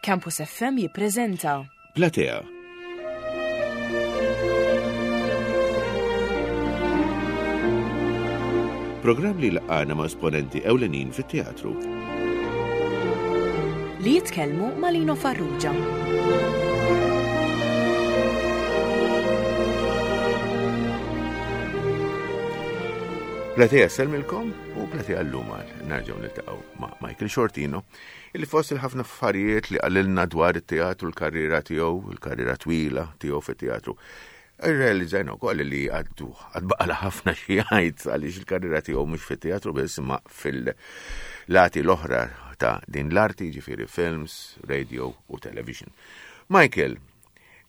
Campus FM jippreżenta Platea. Programm li laqgħana ma' esponenti ewlenin fit-teatru. Li jitkellmu ma' Lino Farrugia. Platea selmilkom u platea l-lum għal nerġgħu niltaqgħu ma' Michael Shortino illi fost il-ħafna affarijiet li qalilna dwar it-teatru, l-karriera tiegħu, il-karriera twila tiegħu fit-teatru. Irrealizzajna wkoll li għaddu għadbaqala ħafna xi jgħid għaliex il-karriera tiegħu mhux fit-teatru biss imma fil-lati l-oħra ta' din l-arti, ġifieri films, radio u television. Michael,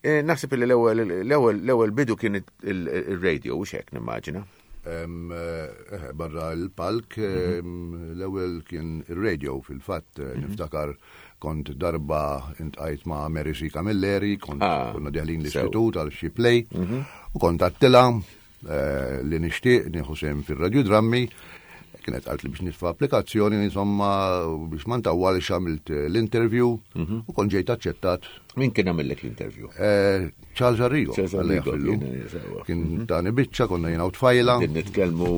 eh, naħseb li l-ewwel bidu kien il-radio u xek nimmaġina. Eh, eh, barra l-palk, mhm. l-ewwel kien ir-radio fil-fatt, eh, mhm. niftakar kont darba intqajt ma' Mary C. Camilleri, kont ah, konna deħlin l-istitut għal xi play, mhm. u kont għattila li nixtieq nieħu sehem fir-radjodrammi, kienet għalt li biex nitfa' applikazzjoni, insomma, biex ma ntawwalx għamilt l-interview u kont ġejt aċċettat. Min kien għamillek l-interview? Charles Arrigo. Charles Arrigo kien mhm. tani biċċa konna jiena u tfajla. Qed nitkellmu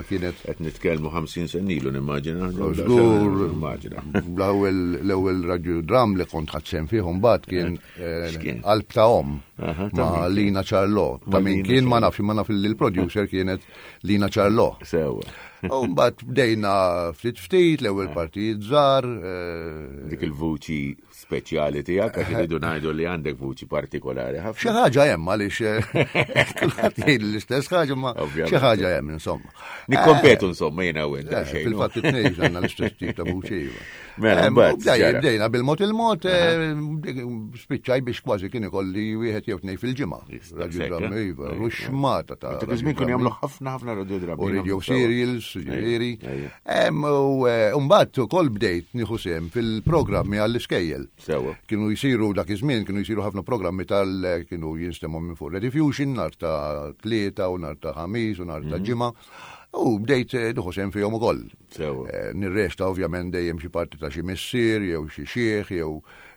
kienet qed nitkellmu 50 sen ilu nimmaġina. Żgur, nimmaġina. L-ewwel l-ewwel radio dram li kont ħadd sehem fih mbagħad kien eh, Qalb ta' Om ma' Lina Charlo. Ta' min kien ma nafx ma naf li l-producer kienet Lina Charlo. Sewa. U mbagħad bdejna ftit ftit l-ewwel partijiet żgħar. Eh, Dik il-vuċi speċjali tiegħek għax iridu ngħidu li għandek vuċi partikolari ħafna. Xi ħaġa hemm għaliex eh, kulħadd jgħid l-istess ħaġa ma xi ħaġa hemm insomma. Nikkompetu eh, insomma jiena u int. Eh, fil-fatt it-tnejn għandna l-istess tip ta' vuċi iva. Mela, mbagħad. Bdejna bil-mod il-mod spiċċaj biex kważi kien ikolli wieħed jew tnejn fil-ġimgħa. Radiodrammi, iva, ruxmata ta' Dak iż-żmien kienu jagħmlu ħafna ħafna radiodrammi. U radio serials, ġifieri. U mbagħad ukoll bdejt nieħu sehem fil-programmi għall-iskejjel. Sewa. Kienu jsiru dak iż-żmien kienu jsiru ħafna programmi tal kienu jinstemgħu minn fuq Rediffusion nhar ta' Tlieta u nhar ta' Ħamis u nhar ta' mhm. Ġimgħa. U bdejt eh, nieħu sehem fihom ukoll. Sewa. Eh, nirrexta ovvjament dejjem xi parti ta' xi missier jew xi xiħ jew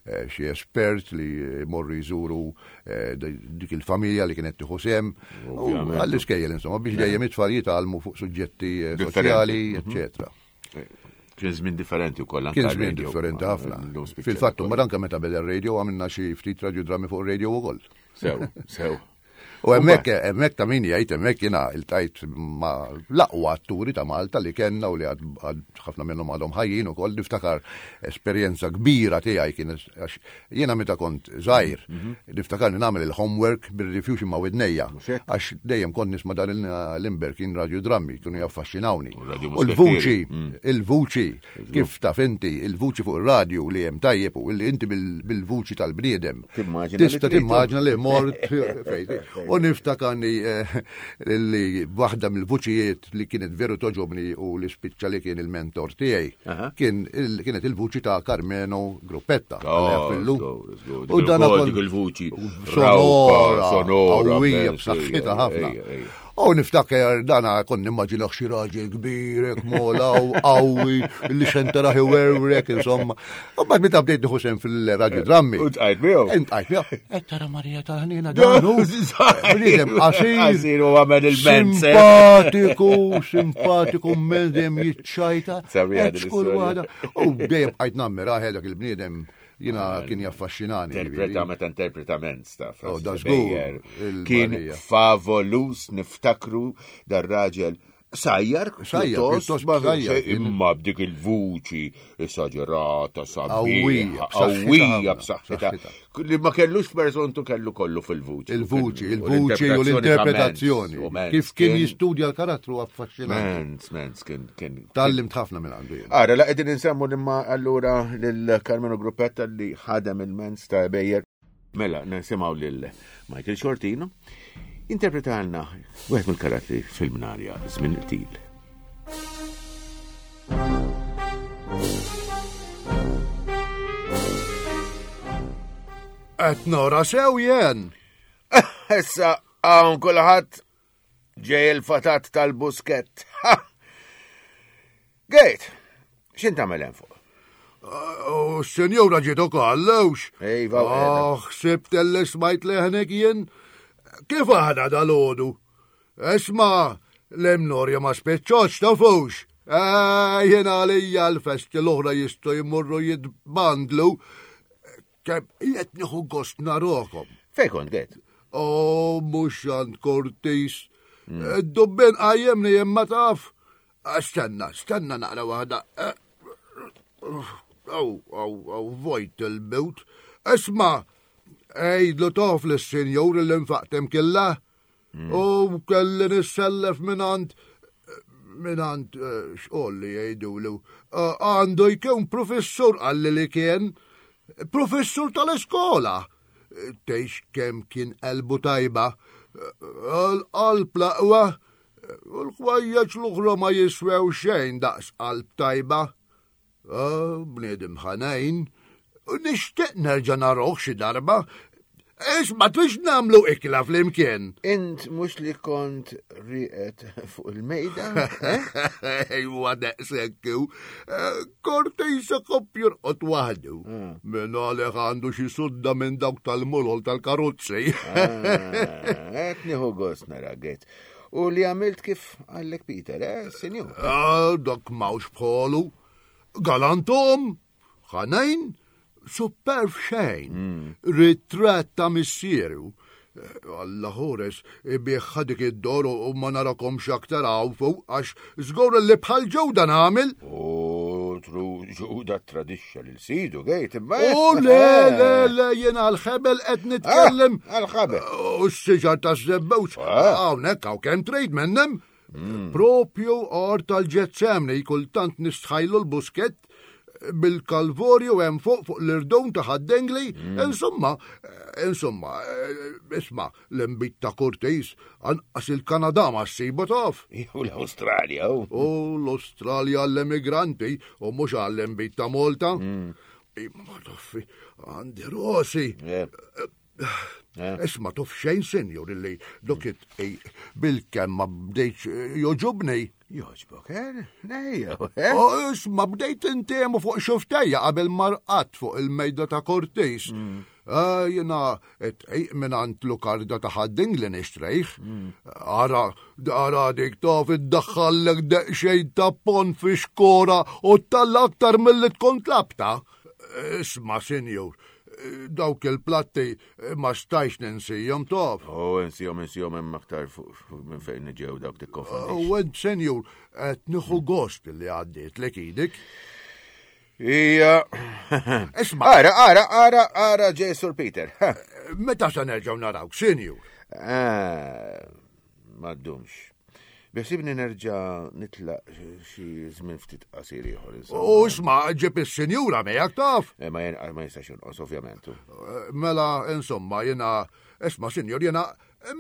eh, xi espert li morru jżuru Eh, dik il-familja li kienet tieħu sehem. Għall-iskejjel insomma biex dejjem it-tfal jitgħallmu fuq suġġetti eh, soċjali, mhm. eċetera. Eh, kien żmien differenti wkoll anke. Kien żmien differenti ħafna. Fil-fatt, mbagħad anke meta beda r-radio għamilna xi ftit radiodrami fuq ir-radio ukoll. Sew, sew. U hemmhekk hemmhekk ta' min jgħid hemmhekk jiena iltajt ma' l-aqwa atturi ta' Malta li kellna u li għad ħafna minnhom għadhom ħajjin ukoll niftakar esperjenza kbira tiegħi kienet għax jiena meta kont żgħir mhm. niftakar nagħmel il-homework bir-rifjuxi ma' widnejja għax dejjem kont nisma' dan l-Limber kien radju drammi kienu jaffaxxinawni. U l-vuċi, mm. il-vuċi Kif taf inti, il-vuċi fuq ir-radju li hemm tajjeb u li inti bil-vuċi tal-bniedem. Tista' timmaġina li mort fejn. U niftakarni eh, li waħda mill-vuċijiet li kienet veru toġobni u li spiċċa li kien il-mentor tiegħi kien kienet il-vuċi ta' Carmeno Gruppetta. Oh, u dan il-vuċi sonora, sonora, qawwija b'saħħitha ħafna. U niftakar dana kon nimmaġinax xi raġel kbir, hekk mola u qawwi, li xenteraħ iwerwrek, insomma. U bad meta bdejt nieħu sehem fil-radju drammi. U tqajt miegħu. Intqajt miegħu. Qed tara Marija tal-ħnina dan hu. Bniedem qasir. Qasir u għamel il-mens. Simpatiku, simpatiku, mens dejjem jiċċajta. U dejjem bqajt nammira dak il-bniedem Jina kien jaffaxxinani. Interpreta meta interpreta mens ta' oh, da żgur. Kien favolus niftakru dar-raġel sajjar, sajjar, pjuttost imma b'dik il-vuċi esaġerata, sabiħa, qawwija b'saħħitha. Li ma kellux persontu kellu kollu fil-vuċi. Il-vuċi, il-vuċi u l-interpretazzjoni. Kif kien jistudja l-karattru affaxxinanti. Mens, mens, kien kien. Tallimt ħafna minn għandu jien. Ara, la qegħdin insemmu imma allura lil Carmelo Gruppetta li ħadem il-mens ta' Bejjer. Mela, nisimgħu lil Michael Shortino interpretalna wieħed mill-karattri fil-mnarja żmien il-qtil. Qed nara sew jien. Issa hawn kulħadd Ġej il-fatat tal-buskett. Gejt, x'int tagħmel hemm fuq? U s-senjura ġiet ukoll, lewx. Ejva, Oh, ħsibt li smajt leħnek jien. Kif aħna dal-għodu? Isma, l-imnorja ma spiċċoċ tafux. Eh, jien għalija l-festi l-oħra jistgħu jmorru jitbandlu. Kemm qed nieħu gost narokom. Fej kont għed? Oh, mhux għand Cortis. Id-dubbien qajjimni imma taf. Stenna, stenna naqra waħda. Aw, aw, aw, vojt il-bewt. Isma, għidlu tof lis-sinjur li nfaqtem killa. U kelli nissellef minant minant eh, xqol li jgħidulu. Eh, għandu jkun professur għalli li kien professur tal-iskola. Eh, tgħix kemm kien qalbu tajba. L-qalb laqwa u l-ħwejjeġ l-oħra ma jiswew xejn daqs qalb tajba. Ah, bniedem ħanejn, nixtieq nerġa' naroh xi darba. Isma' trix nagħmlu ikla flimkien. Int mhux li kont rieqed fuq il-mejda? Eh? Ejwa daqshekk hu. Eh, Kortejsa kopp jorqod waħdu. Hmm. Minn għalih għandu xi sudda minn dawk tal-molol tal-karozzi. Ah, qed nieħu gost nara għet. U li għamilt kif għallek Peter, eh, sinjur? Ah, dak mawx bħolu. Galantom, ħanejn, superf xejn. Mm. Ritratt ta' missieru. Eh, Alla ħores, ibiħħa dik id-dor u ma narakomx aktar hawn fuq għax żgur li bħal ġewda nagħmel. U tru ġuda tradixxa lil sidu gejt imma. U le, le, le, jien għal-ħebel qed nitkellem. Ah, għal-ħabel. U s-siġar ta' żebbewġ. Ah. Hawnhekk hawn kemm trid minnem. Mm. Propju għar tal-ġetsemni kultant nistħajlu l-buskett bil-kalvorju hemm fuq fuq l-irdun ta' ħaddengli, mm. insomma, insomma, eh, isma' l-imbit ta' Curtis anqas il-Kanada ma ssibu taf. U l-Awstralja. U l-Awstralja għall-emigranti u mhux għall-imbit ta' Malta. Mm. Imma toffi, għandi rosi. Eh. Eh. Isma tof xejn senjur illi dokit bil-kemm ma bdejtx eh, joġobni. Joġbok, eh? Nejja, eh? Oh, isma bdejt intemu fuq xuftejja qabel marqat fuq il-mejda ta' Cortez. Mm. Ah, jena tqejq minn għand lukarda ta' ħadding li nixtrejh. Mm. Ara, ara dik taf iddaħħallek deqxejn ta' pon fi xkora u talla aktar mill-li tkun tlabta. Isma, senjur, dawk il-platti ma stajx ninsijom taf. Oh, insijom, insijom hemm aktar minn fejn ġew dawk tikkonfondix. U għed, senjur, qed nieħu gost li għaddiet lek idek. Ija. Isma. Ara, ara, ara, ara ġej Sur Peter. Meta se nerġgħu narawk, senjur? Ah, ma ddumx. Beħsibni nerġa' nitlaq xi żmien ftit qasir ieħor. U isma' ġib is-sinjura miegħek taf. Eh, ma ma jistax jonqos ovvjament. Eh, mela, insomma, jiena isma' sinjur jiena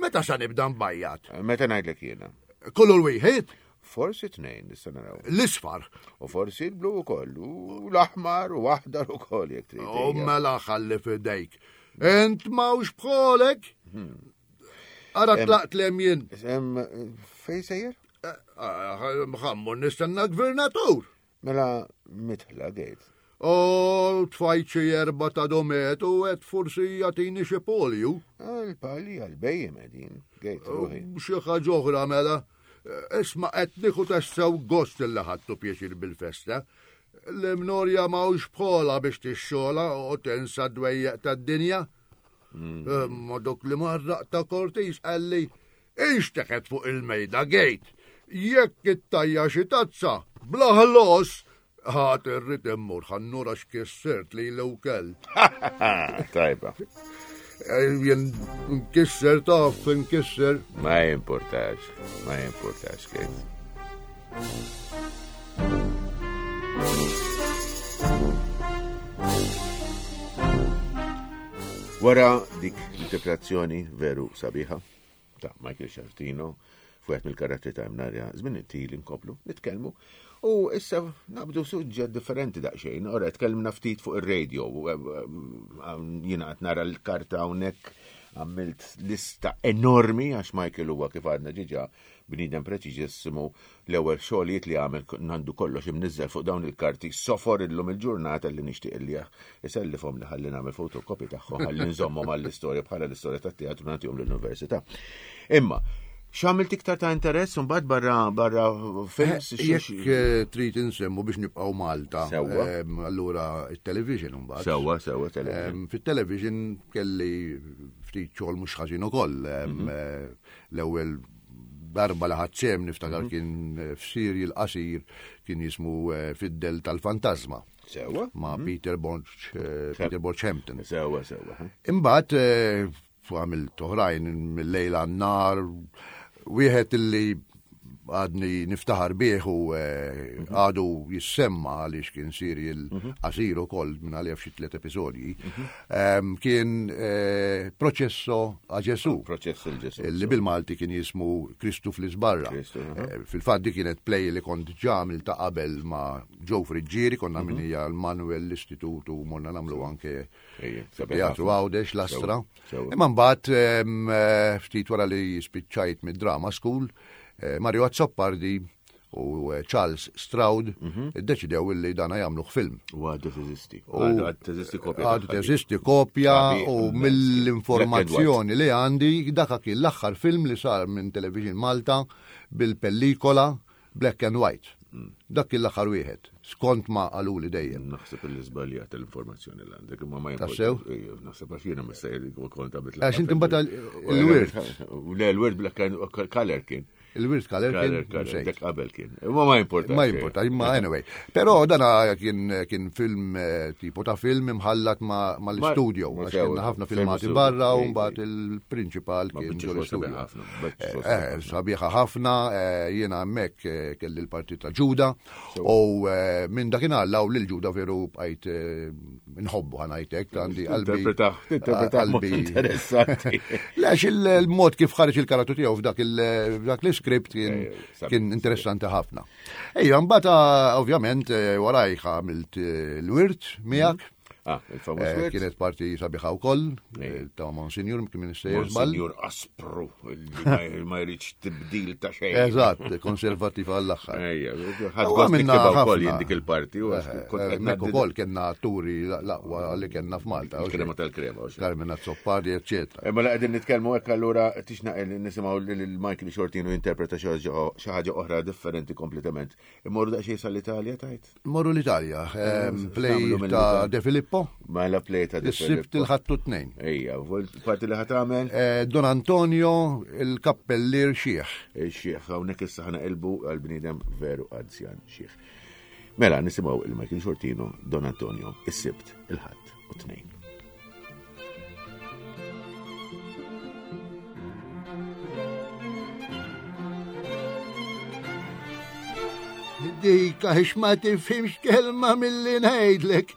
meta sa nibda nbajjat? Eh, meta ngħidlek jiena. Kullu l-wieħed? Forsi tnejn, nista' naraw. L-isfar. U forsi l-blu ukoll, u l-aħmar u aħdar ukoll jekk trid. U mela ħalli fidejk. Int mawx bħolek? Hmm. Ara tlaqt lem jien. Fej sejjer? Eh, eh, ħammu nistenna gvernatur. Mela mitħla gejt. U tfajt xi erba ta' domet u għed forsi jagħtini xi polju. Għal-pali għal-bejjem qegħdin, gejt ruħi. Xi ħaġa oħra mela. Isma' qed nieħu tassew gost li ħadtu pjaċir bil-festa. L-imnorja m'hawnx bħola biex tixxola u tensa dwejjeq tad-dinja. Mm. Ma dok li marraq ta' Cortis qalli inxteħet fuq il-mejda gejt. Jekk ittajja xi tazza, bla ħlos, ħat irrid immur ħannura x'kissirt li l kell. Tajba. Eh, jien nkisser taf, nkisser. Ma jimportax, ma jimportax, Kate. Wara dik l-interpretazzjoni veru sabiħa ta' Michael Sciartino fuq mill-karattri ta' Imnarja, żmien it-til inkomplu nitkellmu u issa nabdu suġġett differenti daqsxejn. Ora tkellimna ftit fuq ir-radio, eh, eh, jiena qed nara l-karta hawnhekk. Għamilt lista enormi għax Michael huwa kif għadna ġiġa bniedem preċiżissimu l-ewwel xogħlijiet li għamel għandu kollox imniżżel fuq dawn il-karti sofor illum il-ġurnata li nixtieq li isellifhom li ħalli nagħmel fotokopi tagħhom ħalli nżommhom għall-istorja bħala l-istorja tat-teatru nagħtihom l-università. Imma x'għamilt iktar ta' interess mbagħad barra barra films? Eh, jekk eh, trid insemmu biex nibqgħu Malta. Ehm, allura it-television mbagħad. Sewwa, sewwa television. Ehm, fit-television kelli ftit xogħol mhux ħażin ukoll. Ehm, mhm. eh, l-ewwel darba li ħadd sehem niftakar mhm. kien eh, f'sirjal qasir kien jismu eh, Fid-Del tal-Fantasma. Sewa. Ma' mhm. Peter Borch, eh, Peter Borch Hampton. Sewa, sewa. Imbagħad għamilt oħrajn mill-lejl għan-nar, wieħed illi għadni niftaħar bih u eh, mhm. għadu jissemma għaliex kien serial mhm. qasir ukoll minn għalija f'xi tliet episodji. Mhm. Ehm, kien eh, Processo a Ġesu. Proċess il Ġesu. Li bil-Malti kien jismu Kristu fl-Isbarra. Eh, fil-fatt di kienet play li kont ġamil ta' qabel ma' Joe Friggieri, konna minija l-Manuel l-Istitut u morna namlu anke Teatru Għawdex, l-Astra. Imma mbagħad eh, ftit wara li spiċċajt mid-drama school, eh, Mario Azzopardi u eh, Charles Stroud mhm. iddeċidew illi dana jagħmluh film. U għadu teżisti. Għadu teżisti kopja. Għadu teżisti kopja u mill-informazzjoni li għandi daka kien l-aħħar film li sar minn Television Malta bil-pellikola Black and white. Dak kien l-aħħar wieħed, skont ma qaluli dejjem. Naħseb li żbaljat l-informazzjoni li għandek, imma ma Tassew? Naħseb għax jiena mistejjer kont għamilt. Għax inti mbagħad il-wirt. Le, l-wirt black and color kien. Il-wirt color kien. Dak qabel kien. Imma ma importa. Ma importa, imma anyway. Però dana kien kien film eh, tipo ta' film imħallat ma' l-studio. Għax kienna ħafna filmati barra u mbagħad il-prinċipal kien ġol-studio. Eh, eh, sabiħa ħafna, eh, jiena hemmhekk kelli l-parti ta' Ġuda u minn dakinhar law lil Ġuda veru bqajt nħobbu ħanajtek għandi qalbi. Qalbi interessanti. Lex il-mod kif ħareġ il-karattru tiegħu f'dak l-iskript kien interessanti ħafna. Ejja, mbagħad ah, ovvjament warajh għamilt l-wirt miegħek. Mm. Ah, il-famuż eh, Kienet parti sabiħa wkoll eh, ta' Monsignor kien Minister Monsignor Aspru, li ma jridx tibdil ta' xejn. Eżatt, konservattiv għall-aħħar. Ejja, ħadd gost niktibha wkoll jien dik il-parti. Eh, ukoll kellna atturi l-aqwa li kellna f'Malta. Krema tal-krema. Carmen Azzopardi, eccetera. Mela qegħdin nitkellmu hekk allura tixnaq nisimgħu lil Michael Shortino jinterpreta xi ħaġa oħra differenti kompletament. Immorru daqsxejn sal-Italja tajt? Morru l-Italja, ehm, play ta' De Filippo. Mela play ta' De Filippo. Is-sibt il-ħattu tnejn. Ejja, parti li ħatamel? Eh, Don Antonio, il-kappellier xieħ. Il-xieħ, hawnhekk issa ħana qilbu għal-bniedem veru anzjan xieħ. Mela, nisimgħu il-Michael Shortino, Don Antonio, is-sibt, il-ħadd u tnejn. Dik għax ma tifhimx kelma milli ngħidlek.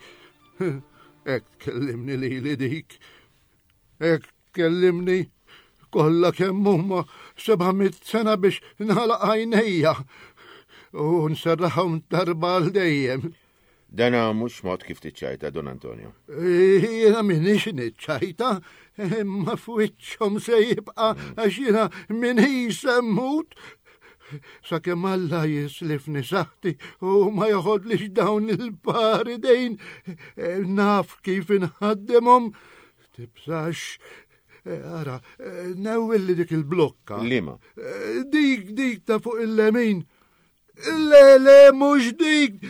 Hekk tkellimni lili dik. Hekk tkellimni kollha kemm huma 700 sena biex nagħlaq għajnejja u nserraħhom darba għal dejjem. Dana mhux mod kif tiċċajta, Don Antonio. Jiena minix niċċajta, imma f'wiċċhom se jibqa' għax jiena minix se mmut. Sakemm Alla jislifni saħti u ma joħodlix dawn il-par idejn, naf kif inħaddimhom. Tibżax, ara, newwilli dik il-blokka. Liema? Dik, dik ta' fuq il-lemin. Le, le, mhux dik,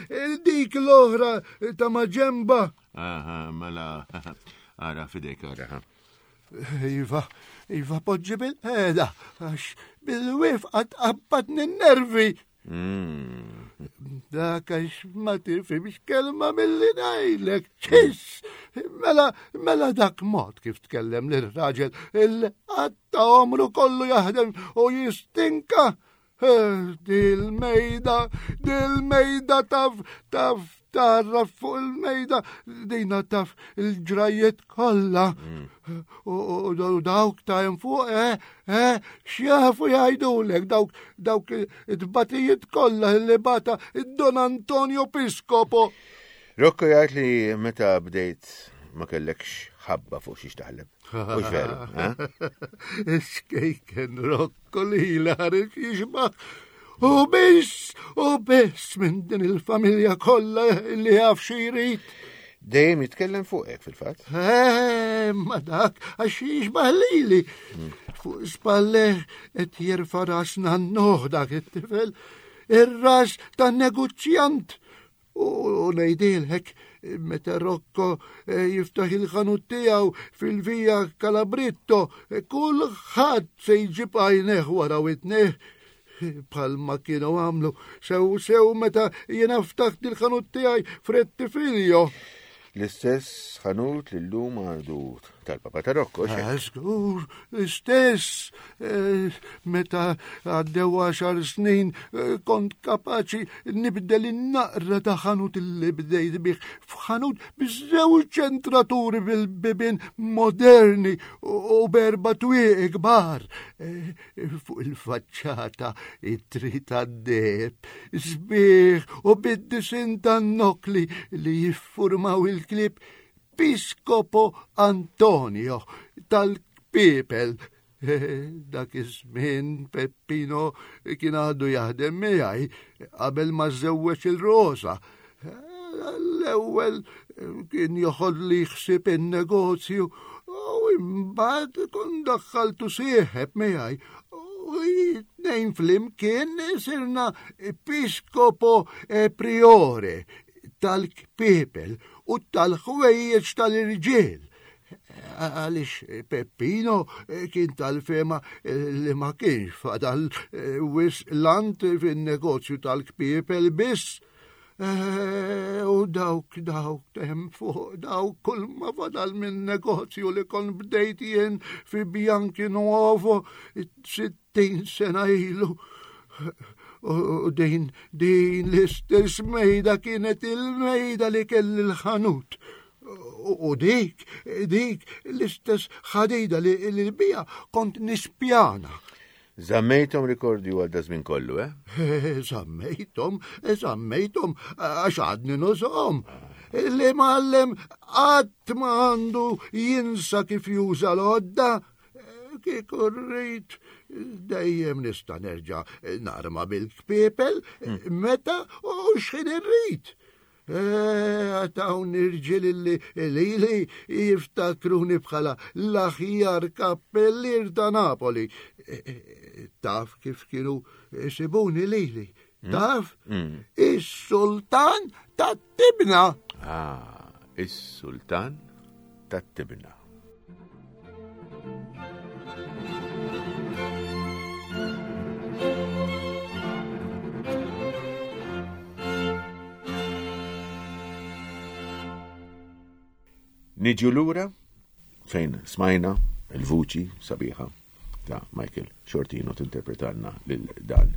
dik l-oħra ta' maġemba. Aha, mela, ara fidejk ara. Iva, iva poġġi bil-ħeda, għax bil-wifqa tqabbad nervi. Mm. Dak għax ma tifhimx kelma mill-li ngħidlek. Ċis! Mela, mela dak mod kif tkellem lir-raġel il-qatta omru kollu jaħdem u jistinka. Dil-mejda, dil-mejda taf, taf, tarraf fuq il-mejda, dina taf il-ġrajiet kollha. Mm. U dawk ta' hemm fuq, eh, eh, x'jafu jgħidulek dawk dawk it-tbatijiet kollha li bata id-Don Antonio Piscopo. Rocco jgħid li meta bdejt ma kellekx ħabba fuq xiex taħleb. Mhux veru, eh? Ix-xkejken Rocco li ħareġ jixbaħ. U biss, u biss minn din il-familja kollha li jaf xi jrid. Dejjem jitkellem fuqek fil-fatt. Eh, ma dak għax jixbaħ lili. Fuq spalleh qed jerfa' ras nannuh dak it-tifel. Ir-ras tan-negozjant. U ngħidilek, meta Rocco eh, jiftaħ il-ħanut tiegħu fil-Via Calabritto, eh, kulħadd se jġib għajneh wara witneh bħalma kienu għamlu sew sew meta jiena ftaħt il-ħanut tiegħi Frettifilio. L-istess ħanut li llum għadu tal-Papa ta' Rocco. Ah, żgur, l-istess. Eh, meta għaddew għaxar snin eh, kont kapaċi nibdel in-naqra ta' ħanut li bdejt bih f'ħanut biż-żewġ ċentraturi bil-bibien moderni u berba twieqi kbar. Eh, fuq il-faċċata it-tri tad-deheb, sbieħ u bid-disin tan-nokli li jiffurmaw il-klieb Piscopo Antonio tal-Kpiepel. Dak iż-żmien Peppino kien għadu jaħdem miegħi qabel ma żewweġ il-Rosa. L-ewwel kien joħodli ħsieb in-negozju u imbagħad kont daħħaltu sieħeb miegħi u tnejn flimkien sirna episkopo e priore tal-kpiepel u tal-ħwejjeġ tal-irġiel. Għaliex Peppino kien tal-fema li ma kienx fadal wisq lant fin-negozju tal-kpiepel biss. Eh, u dawk, dawk, tem fuq, dawk kull ma fadal minn negozju li kon bdejt jien fi Bianchi Nuovo 60 sena ilu. U din, din l-istess mejda kienet il-mejda li kelli l-ħanut. U dik, dik l-istess ħadida li l-bija kont nispjana. Żammejthom rikordju għal daż-żmien kollu, eh? Żammejthom, żammejthom għax għadni nużhom. Li mgħallem qatt ma għandu jinsa kif juża l-għodda. Kieku rrid dejjem nista' nerġa' narma bil-kpiepel hmm. meta u x'ħin irrid. Għad hawn irġiel li lili jiftakruni bħala l-aħjar kappellier ta' Napoli. Taf kif kienu isibuni lili? Hmm? Taf? Hmm. Is-sultan tat-tibna. Ah, is-sultan tat-tibna. Niġu lura fejn smajna il-vuċi sabiħa ta' Michael Shortino tinterpretalna lil dan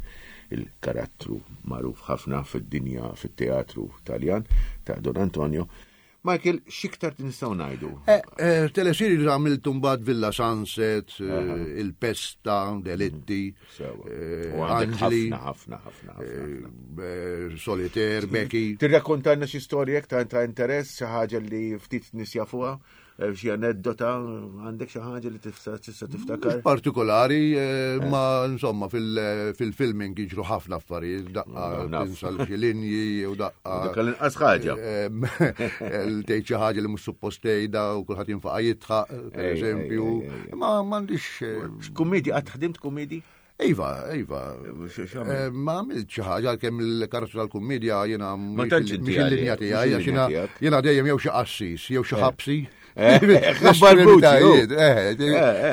il-karattru magħruf ħafna fid-dinja fit-teatru Taljan ta' Don Antonio. Michael, x'iktar nistgħu ngħidu? Eh, eh, Telesiri li għamiltu mbagħad Villa Sunset, eh, Il-Pesta, Delitti, mm, Angeli, ħafna, ħafna, ħafna. Solitaire, Becky. Tirrakkontalna xi storja ta' interess, xi ħaġa li ftit nies jafuha? Eh, xi aneddota, għandek xi ħaġa li tista' tiftakar? Partikolari, eh, eh. ma insomma fil-filming jiġru ħafna affarijiet, daqqa tinsa xi linji u daqqa. Dak l-inqas ħaġa. Tgħid xi ħaġa li mhux suppost tgħidha u kulħadd jinfaqa' jitħaq, per eżempju. Ma m'għandix. Kummedi, qatt ħdimt kummedi? Iva, iva. Eh, ma għamilt xi ħaġa għalkemm il-karozza tal-kummedja jiena mhix il-linja tiegħi għax jiena jiena dejjem jew xi qassis jew xi eh. ħabsi. Eh,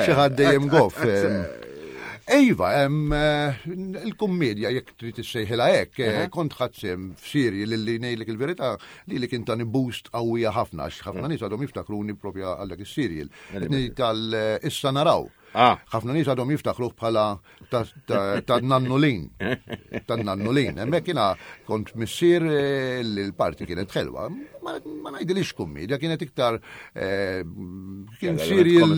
xi ħadd dejjem goff. Iva, il-kummedja jekk trid issejħilha hekk, kont ħadd sem f'sirji li li ngħidlek il-verità li li kien tani boost qawwija ħafna għax ħafna nies għadhom jiftakruni propja għal dak is-serial. Tal-issa naraw. Ah. Ħafna nies għadhom jiftakruh bħala ta' nannulin. Ta' nannulin. Hemmhekk jiena kont missier eh, li l-parti kienet ħelwa. Ma ngħidilix kummedja, kienet iktar eh, kien serial.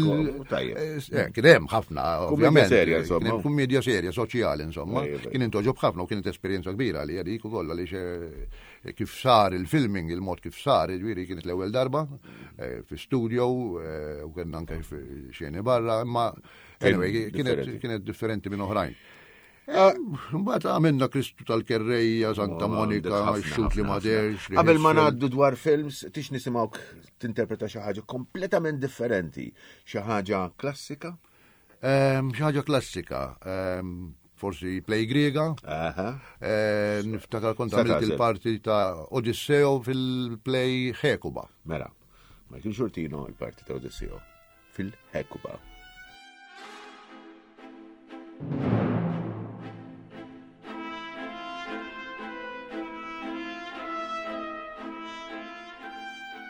Eh, kien hemm ħafna, ovvjament. serja, insomma. Kien kummedja serja, soċjali, insomma. Kien intoġob ħafna u kienet esperjenza kbira li dik ukoll għaliex kif sar il-filming, il-mod kif sar, ġifieri kienet l-ewwel darba fi studio u kien anke xeni barra, imma anyway, kienet differenti minn oħrajn. Eh, mbagħad għamilna Kristu tal-Kerrejja, Santa oh, Monika, xut li ma derx. Qabel ma ngħaddu dwar films, tix nisimgħuk tinterpreta xi ħaġa kompletament differenti, xi ħaġa klassika? Ehm, xi ħaġa klassika. Ehm, forsi play griega. Eh, niftakar kont għamilt il-parti ta' Odisseo fil-play Hekuba. Mela, Michael Xurtino il-parti ta' Odisseo fil-Hekuba.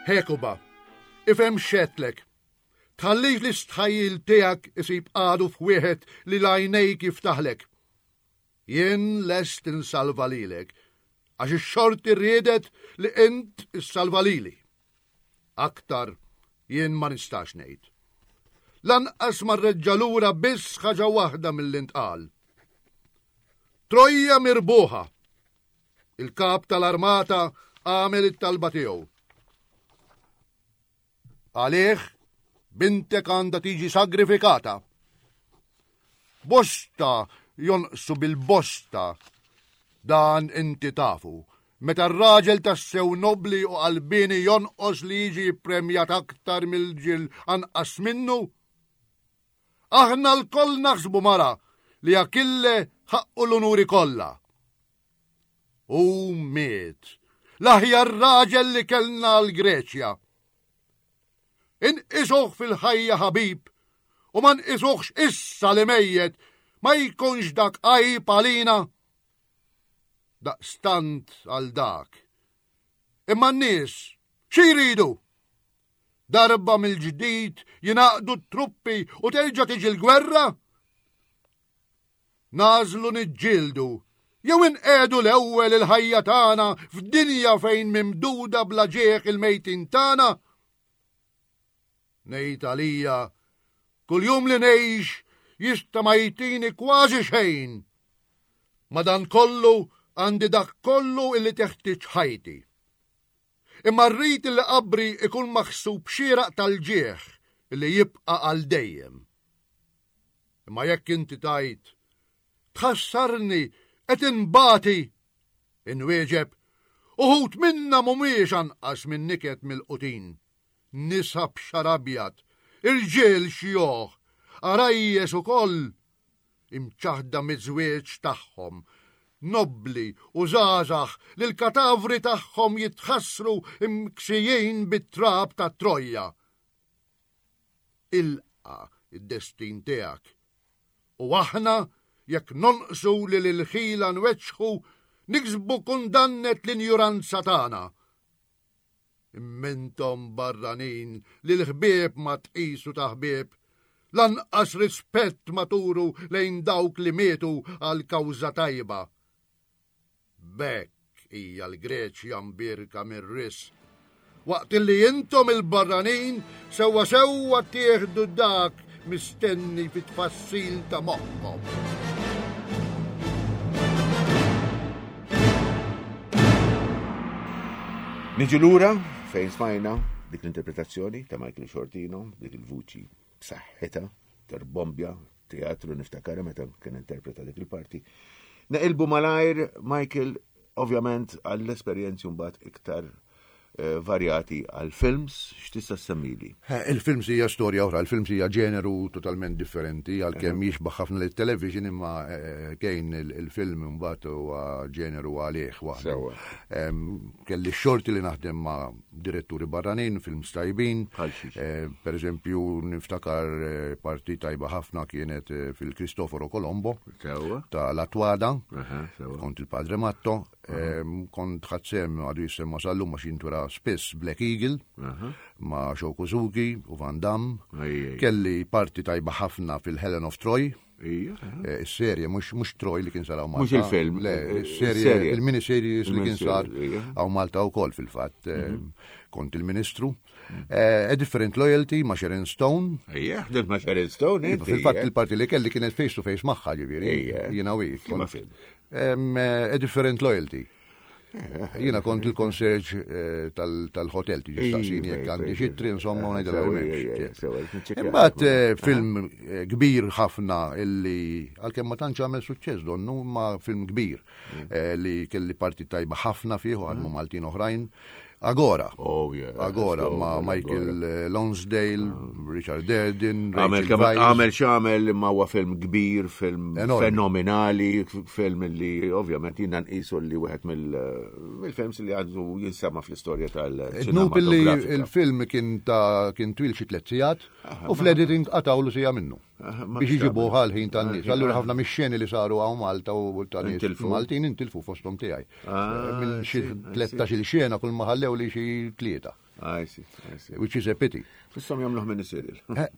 Hekuba, ifhem xetlek. Tħallix l-istħajjil tiegħek isib għadu f'wieħed li l-għajnejk jiftaħlek. Jien lest insalva lilek, għax ix-xorti riedet li int issalva lili. Aktar jien ma nistax ngħid. Lanqas ma rreġġa' lura biss ħaġa waħda milli ntqal. Trojja mirbuħa! Il-kap tal-armata għamel it-talba tiegħu. Għalih, bintek għandha tiġi sagrifikata. Bosta jonqsu bil-bosta. Dan inti tafu. Meta r-raġel tassew nobbli u qalbieni jonqos li jiġi ppremjat aktar mill-ġil anqas minnu? Aħna lkoll naħsbu mara li Akille ħaqqu l-unuri kollha. Hu miet, l-aħjar raġel li kellna għall-Greċja. Inqisuh fil-ħajja ħabib u ma nqisuhx issa li mejjet ma jkunx dak għajb għalina. Daqstant għal dak. Imma n-nies xi jridu? Darba mill-ġdid jingħaqdu t-truppi u terġa' tiġi l-gwerra? Nagħżlu niġġieldu jew inqiegħdu l-ewwel il-ħajja tagħna f'dinja fejn mimduda bla ġieħ il-mejtin tagħna? Ngħid għalija, kuljum li ngħix jista' ma jtini kważi xejn. Madankollu għandi dak kollu illi teħtieġ ħajti. Imma rrid li qabri ikun maħsub xieraq tal-ġieħ li jibqa' għal dejjem. Imma jekk inti tgħid, tħassarni qed inbati, inwieġeb, uħud minna mhumiex anqas minn niket mill-qutin, nisa b'xar abjad, irġiel xjuħ, għarajjes ukoll, imċaħħda miż-żwieġ tagħhom, nobbli u żgħażagħ li l-katavri tagħhom jitħassru mksijin bit-trab ta' Trojja. Ilqa' d-destin tiegħek. U aħna, jekk nonqsu li lill-ħila nweġġħu, niksbu kundannet l-injuranza tagħna. Imma intom barranin li l-ħbieb ma tqisu ta' ħbieb, lanqas rispett ma turu lejn dawk li mietu għal kawża tajba. B'hekk hija l-Greċja mbierka mir-risq, waqt li intom il-barranin sewwa sewwa tieħdu dak mistenni fit-tfassil ta' moħħkom. Niġu lura fejn smajna dik l-interpretazzjoni ta' Michael Shortino, dik il-vuċi b'saħħitha, terbombja, teatru niftakara meta kien interpreta dik il-parti. Neqilbu malajr Michael ovvjament għall-esperjenzi mbagħad iktar Eh, varjati għal films, x'tista' semmili? Eh, il-films hija storja oħra, il-films hija ġeneru totalment differenti għalkemm jixbaħ ħafna lit television imma eh, kejn il-film imbagħad huwa ġeneru għalih waħdu. Kelli xorti li naħdem ma' diretturi barranin, films tajbin. Per eżempju, niftakar parti tajba ħafna kienet fil-Cristoforo Colombo ta' Latwada, kont il-Padre Matto. Kont ħadt sehem għadu jissemma sal-lum għax jintwera spiss Black Eagle ma' Sho Kosugi u Van Damme. Kelli parti tajba ħafna fil-Helen of Troy. Eh, is-serje, mhux Troy li kien sar hawn Malta. Mhux il-film. Le, eh, is-serje, il-miniseries li kien sar hawn Malta wkoll fil-fatt. Eh, mhm. Kont il-Ministru. Mhm. A Different Loyalty ma' Sharon Stone. Ejja, ħdimt ma' Sharon Stone. Iva, fil-fatt il-parti li kelli kienet face to face magħha ġifieri. Jiena u A Different Loyalty. Jiena kont il-konserġ eh, tal-hotel tiġi staqsini jekk għandi xi tri insomma u ngħidilha Imbagħad eh, film eh, kbir ħafna illi għalkemm ma tantx għamel suċċess donnu ma film kbir mm. li kelli parti tajba ħafna fih u għadmu mm. Maltin oħrajn. Agora. Oh, yeah. Agora ma' Michael eh, Lonsdale, ah. Richard Durden, Għamel xamel imma huwa film kbir, film fenomenali, film li ovvjament jina nqisu li wieħed mill-films li għandu jinsema fl-istorja tal-ċinema. li il-film kien ta' kien twil xi tliet sigħat u fl-editing qatawlu sija minnu. Biex iġibu ħal-ħin tan-nies. Allura ħafna mix-xeni li saru hawn Malta u ta' nies Maltin intilfu fosthom tiegħi. Ah, Minn xi 13-il xena kull ma ħallew li xi tlieta. Which is a pity. Fissom jagħmluh minn serial. Eh,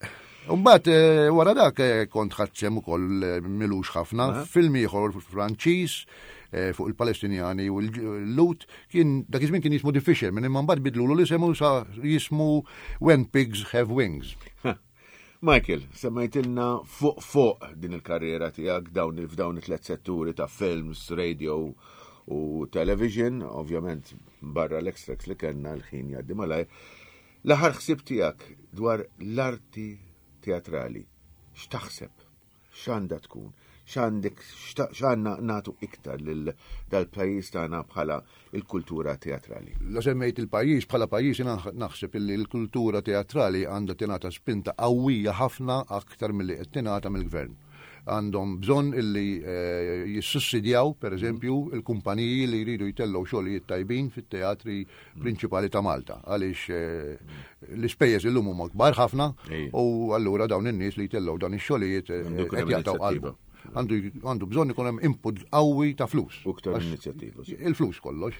Mbagħad eh, wara dak eh, kont ħadsem ukoll milux ħafna film ieħor Franċiż fuq il-Palestinjani u l-Lut kien dak iż-żmien kien jismu The Fisherman imma mbagħad bidlulu l-isem u sa jismu When Pigs Have Wings. Michael, semmejtilna fuq fuq din il-karriera tiegħek dawn f'dawn it-tlet setturi ta' films, radio u television, ovvjament barra l-extracts li kellna l-ħin jgħaddi malajr. L-aħħar ħsieb tiegħek dwar l-arti teatrali, x'taħseb? X'għandha tkun? X'għandek x'għandna nagħtu iktar lil dal-pajjiż tagħna bħala l-kultura teatrali? La semmejt il-pajjiż bħala pajjiż jiena naħseb illi l-kultura teatrali għandha tingħata spinta qawwija ħafna aktar milli qed tingħata mill-gvern. Għandhom bżonn illi eh, jissussidjaw, per eżempju, il-kumpaniji li jridu jtellgħu xogħlijiet tajbin fit-teatri prinċipali ta' Malta għaliex eh, l-ispejjeż illum huma kbar ħafna u allura dawn in-nies li jtellgħu dan ix-xogħlijiet eh, qed jaqtgħu qalbu. Għandu bżonn ikun hemm input qawwi ta' flus. U iktar inizjattiva. Il-flus kollox.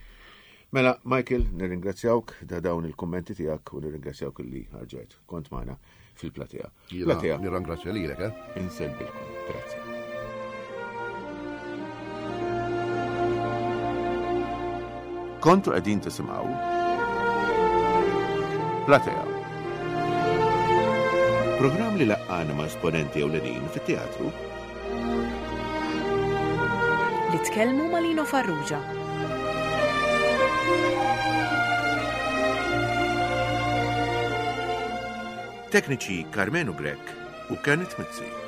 Mela, Michael, nirringrazzjawk da dawn il-kummenti tiegħek u nirringrazzjawk li ħarġet kont magħna fil-platea. Platea. Nirrangrazzja lilek, eh? Insellbilkom. Grazzi. Kontu qegħdin tisimgħu Platea. Programm li laqqana ma' esponenti ewlenin fit-teatru. Li tkellmu ma' Lino Farrugia. Tekniċi Karmenu Grech u Kenneth Mizzi.